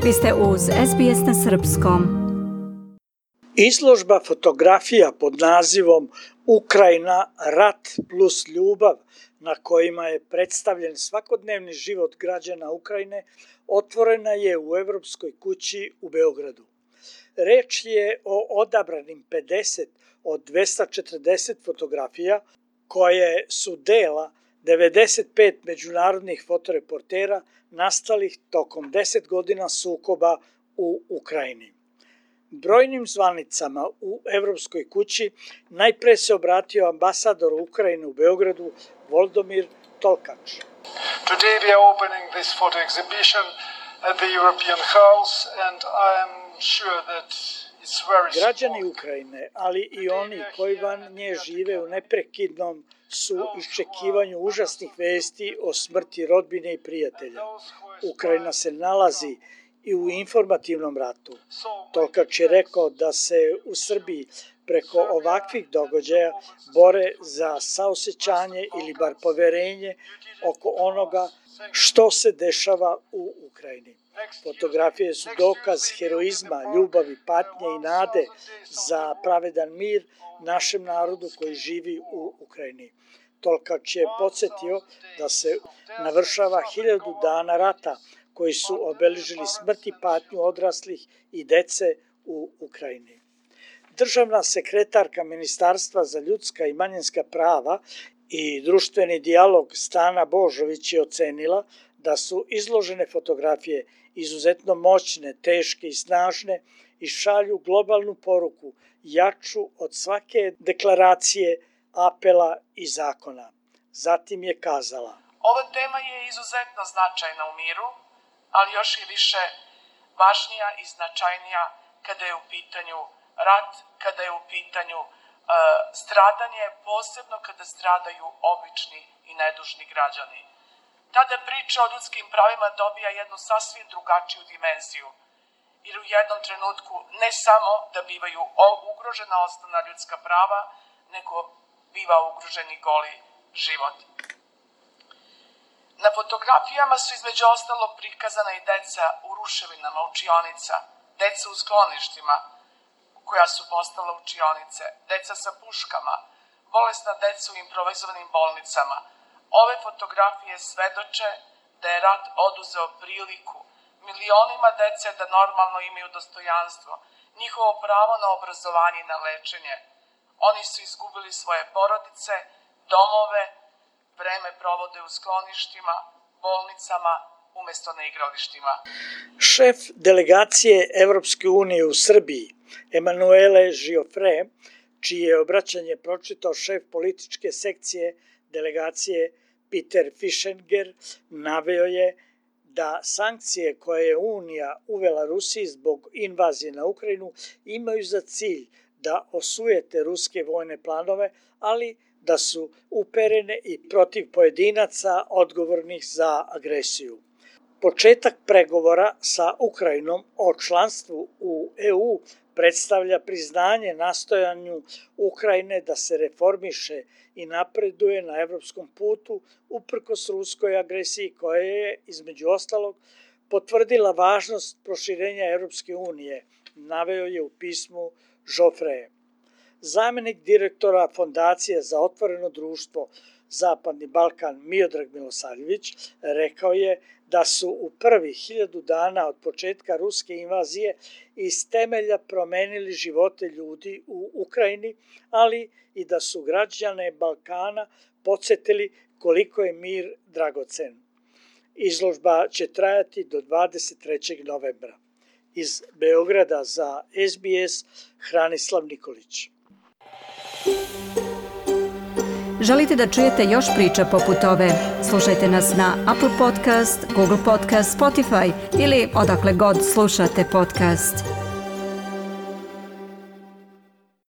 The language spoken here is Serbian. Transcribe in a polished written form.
Vi ste uz SBS na srpskom. Izložba fotografija pod nazivom Ukrajina, rat plus ljubav, na kojima je predstavljen svakodnevni život građana Ukrajine, otvorena je u Evropskoj kući u Beogradu. Reč je o odabranim 50 od 240 fotografija koje su dela 95 međunarodnih fotoreportera nastalih tokom 10 godina sukoba u Ukrajini. Brojnim zvanicama u Evropskoj kući najpre se obratio ambasador Ukrajine u Beogradu Volodymyr Tolkač. Today we are opening this photo exhibition at the European House and I am sure that it's very Građani Ukrajine, ali i oni koji van nje žive u neprekidnom su iščekivanju užasnih vesti o smrti rodbine i prijatelja. Ukrajina se nalazi i u informativnom ratu. Tolkač je rekao da se u Srbiji preko ovakvih događaja bore za saosećanje ili bar poverenje oko onoga što se dešava u Ukrajini. Fotografije su dokaz heroizma, ljubavi, patnje i nade za pravedan mir našem narodu koji živi u Ukrajini. Tolkač je podsjetio da se navršava 1000 dana rata koji su obeležili smrt i patnju odraslih i dece u Ukrajini. Državna sekretarka Ministarstva za ljudska i manjinska prava i društveni dijalog Stana Božović je ocenila da su izložene fotografije izuzetno moćne, teške i snažne i šalju globalnu poruku jaču od svake deklaracije, apela i zakona. Zatim je kazala: Ova tema je izuzetno značajna u miru, ali još i više važnija i značajnija kada je u pitanju rat, kada je u pitanju stradanje, posebno kada stradaju obični i nedužni građani. Tada priča o ljudskim pravima dobija jednu sasvim drugačiju dimenziju, jer u jednom trenutku ne samo da bivaju ugrožena osnovna ljudska prava, nego biva ugrožen i goli život. Na fotografijama su između ostalog prikazana i deca u ruševinama učionica, deca u skloništima koja su postala učionice, deca sa puškama, bolesna deca u improvizovanim bolnicama. Ove fotografije svedoče da je rat oduzeo priliku milionima dece da normalno imaju dostojanstvo, njihovo pravo na obrazovanje i na lečenje. Oni su izgubili svoje porodice, domove, vreme provode u skloništima, bolnicama, umesto na igralištima. Šef delegacije Evropske unije u Srbiji, Emanuele Giofre, čije je obraćanje pročitao šef političke sekcije delegacije Peter Fischenger, naveo je da sankcije koje je Unija uvela Rusiji zbog invazije na Ukrajinu imaju za cilj da osujete ruske vojne planove, ali da su uperene i protiv pojedinaca odgovornih za agresiju. Početak pregovora sa Ukrajinom o članstvu u EU predstavlja priznanje nastojanju Ukrajine da se reformiše i napreduje na evropskom putu uprkos ruskoj agresiji koja je, između ostalog, potvrdila važnost proširenja Evropske unije, naveo je u pismu Joffre. Zamenik direktora Fondacije za otvoreno društvo Zapadni Balkan Miodrag Milosavljević rekao je da su u prvih 1000 dana od početka ruske invazije iz temelja promenili živote ljudi u Ukrajini, ali i da su građane Balkana podsjetili koliko je mir dragocen. Izložba će trajati do 23. novembra. Iz Beograda za SBS Hranislav Nikolić. Želite da čujete još priča poput ove? Slušajte nas na Apple Podcast, Google Podcast, Spotify ili odakle god slušate podcast.